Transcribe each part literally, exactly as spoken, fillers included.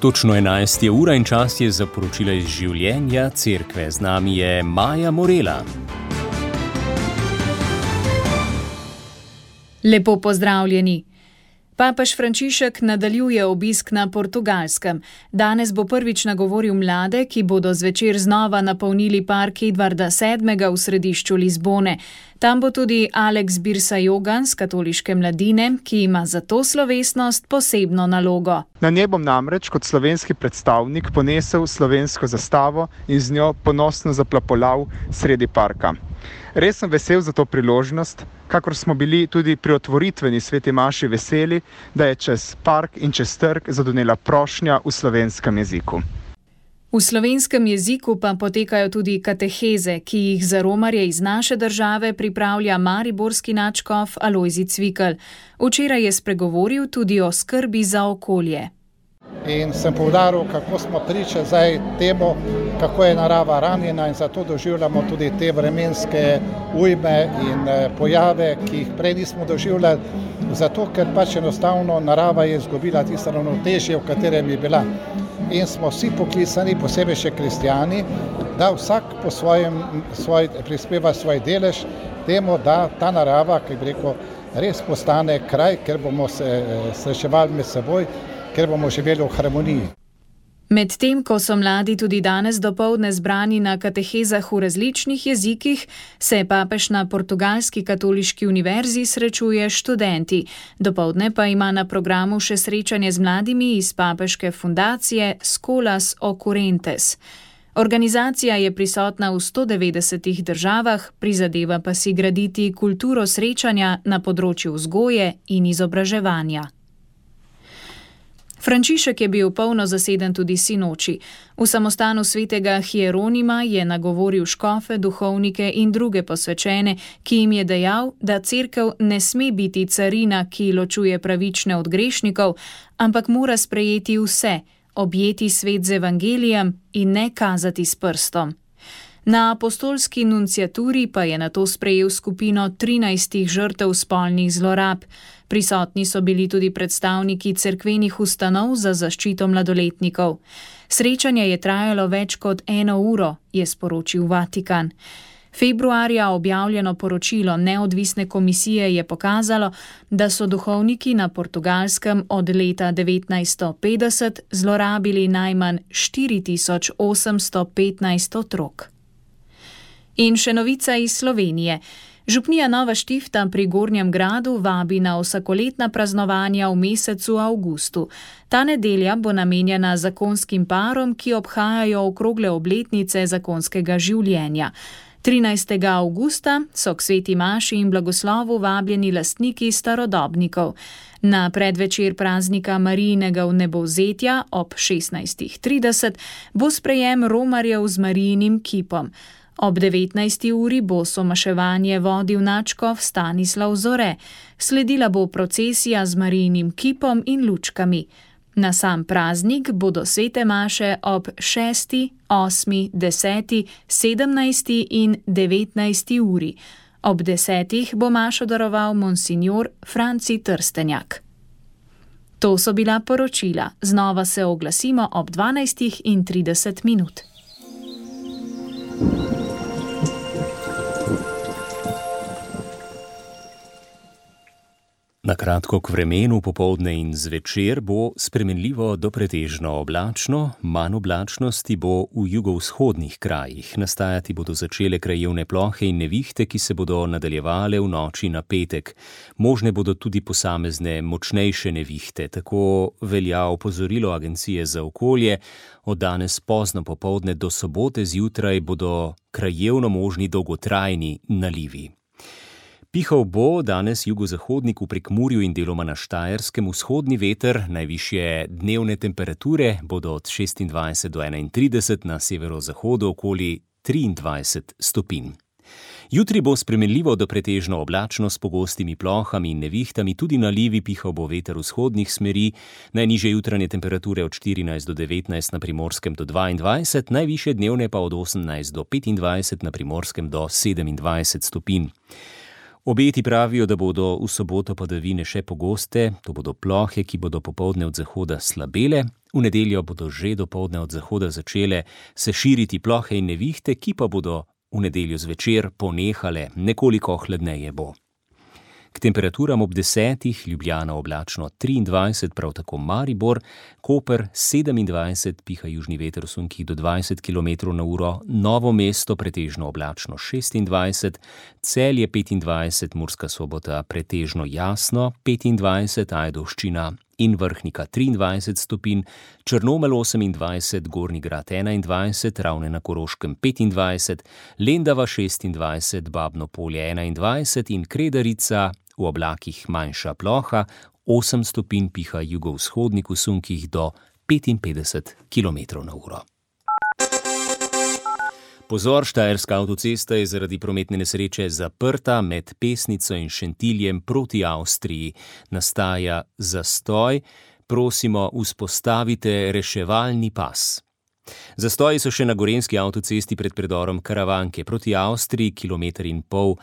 Točno enajst je ura in čas je za poročila iz življenja cerkve. Z nami je Maja Morela. Lepo pozdravljeni. Papež Frančišek nadaljuje obisk na Portugalskem. Danes bo prvič nagovoril mlade, ki bodo zvečer znova napolnili park Edvarda sedmega v središču Lizbone. Tam bo tudi Alex Birsajogan z katoliške mladine, ki ima za to slovesnost posebno nalogo. Na njej bom namreč kot slovenski predstavnik ponesel slovensko zastavo in z njo ponosno zaplapolal sredi parka. Res sem vesel za to priložnost, kakor smo bili tudi pri otvoritveni sveti maši veseli, da je čez park in čez trg zadonela prošnja v slovenskem jeziku. V slovenskem jeziku pa potekajo tudi kateheze, ki jih za romarje iz naše države pripravlja mariborski nadškof Alojzij Cvikl. Včeraj je spregovoril tudi o skrbi za okolje. In sem poudaril, kako smo priča zdaj temu, kako je narava ranjena in zato doživljamo tudi te vremenske ujme in pojave, ki jih prej nismo doživljali, zato ker pač enostavno narava je izgubila tisto ravnotežje, v katerem je bila. In smo vsi poklicani, posebej še kristjani, da vsak po svojem svoj, prispeva svoj delež temu, da ta narava, ki bi rekel, res postane kraj, ker bomo se srečevali med seboj, ker bomo živeli v harmoniji. Medtem ko so mladi tudi danes dopoldne zbrani na katehezah v različnih jezikih, se papež na portugalski katoliški univerzi srečuje študenti. Dopoldne pa ima na programu še srečanje z mladimi iz papeške fundacije Escolas Occurrentes. Organizacija je prisotna v sto devetdesetih državah, prizadeva pa si graditi kulturo srečanja na področju vzgoje in izobraževanja. Frančišek je bil polno zaseden tudi sinoči. V samostanu svetega Hieronima je nagovoril škofe, duhovnike in druge posvečene, ki jim je dejal, da cerkev ne sme biti carina, ki ločuje pravične od grešnikov, ampak mora sprejeti vse, objeti svet z evangelijem in ne kazati s prstom. Na apostolski nunciaturi pa je nato sprejel skupino trinajstih žrtev spolnih zlorab. Prisotni so bili tudi predstavniki cerkvenih ustanov za zaščito mladoletnikov. Srečanje je trajalo več kot eno uro, je sporočil Vatikan. Februarja objavljeno poročilo neodvisne komisije je pokazalo, da so duhovniki na Portugalskem od leta devetnajststo petdeset zlorabili najmanj štiri tisoč osemsto petnajst otrok. In še novica iz Slovenije. Župnija Nova Štifta pri Gornjem Gradu vabi na vsakoletna praznovanja v mesecu avgustu. Ta nedelja bo namenjena zakonskim parom, ki obhajajo okrogle obletnice zakonskega življenja. trinajstega avgusta so k sveti maši in blagoslovu vabljeni lastniki starodobnikov. Na predvečer praznika Marijinega vnebovzetja ob šestnajstih trideset bo sprejem romarjev z Marijinim kipom. Ob devetnajsti uri bo somaševanje vodil nadškof Stanislav Zore. Sledila bo procesija z Marijinim kipom in lučkami. Na sam praznik bodo svete maše ob šesti, osmi, deseti, sedemnajsti in devetnajsti uri. Ob desetih bo mašo daroval monsinjor Franci Trstenjak. To so bila poročila. Znova se oglasimo ob dvanajstih in trideset minut. Na kratko k vremenu, popoldne in zvečer bo spremenljivo do pretežno oblačno, manj oblačnosti bo v jugovzhodnih krajih. Nastajati bodo začele krajevne plohe in nevihte, ki se bodo nadaljevale v noči na petek. Možne bodo tudi posamezne močnejše nevihte, tako velja opozorilo Agencije za okolje. Od danes pozno popoldne do sobote zjutraj bodo krajevno možni dolgotrajni nalivi. Pihal bo danes jugozahodnik v Prekmurju in deloma na Štajerskem vzhodni veter, najvišje dnevne temperature bodo od šestindvajset do enaintrideset, na severozahodu okoli triindvajset stopinj. Jutri bo spremenljivo do pretežno oblačno s pogostimi plohami in nevihtami, tudi nalivi, pihal bo veter vzhodnih smeri, najnižje jutranje temperature od štirinajst do devetnajst, na Primorskem do dvaindvajset, najvišje dnevne pa od osemnajst do petindvajset, na Primorskem do sedemindvajset stopinj. Obeti pravijo, da bodo v soboto padavine še pogoste, to bodo plohe, ki bodo popoldne od zahoda slabele, v nedeljo bodo že dopoldne od zahoda začele se širiti plohe in nevihte, ki pa bodo v nedeljo zvečer ponehale, nekoliko hladneje bo. K temperaturam ob desetih Ljubljana oblačno triindvajset, prav tako Maribor, Koper sedemindvajset, piha južni veter v sunkih do dvajset kilometrov na uro, Novo mesto pretežno oblačno šestindvajset, Celje petindvajset, Murska Sobota pretežno jasno petindvajset, Ajdovščina in Vrhnika triindvajset stopinj, Črnomelj osemindvajset, Gornji Grad enaindvajset, Ravne na Koroškem petindvajset, Lendava šestindvajset, Babno Polje enaindvajset in Kredarica v oblakih manjša ploha, osem stopinj, piha jugovzhodnik v sunkih do petinpetdeset kilometrov na uro. Pozor, Štajerska avtocesta je zaradi prometne nesreče zaprta med Pesnico in Šentiljem proti Avstriji. Nastaja zastoj, prosimo, vzpostavite reševalni pas. Zastoji so še na gorenjski avtocesti pred predorom Karavanke proti Avstriji, kilometer in pol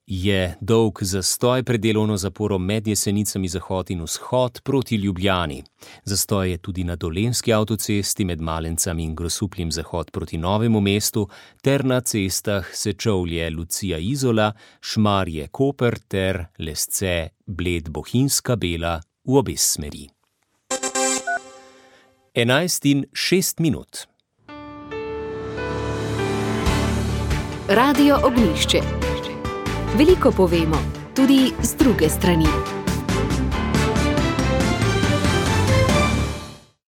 je dolg zastoj pred delovno zaporo med Jesenicami zahod in vzhod proti Ljubljani. Zastoj je tudi na dolenjski avtocesti med Malencami in Grosupljem zahod proti Novemu mestu ter na cestah Sečovlje Lucija Izola, Šmarje Koper ter Lesce Bled Bohinjska Bela v obe smeri. enajst in šest minut. Radio Ognjišče. Veliko povemo, tudi z druge strani.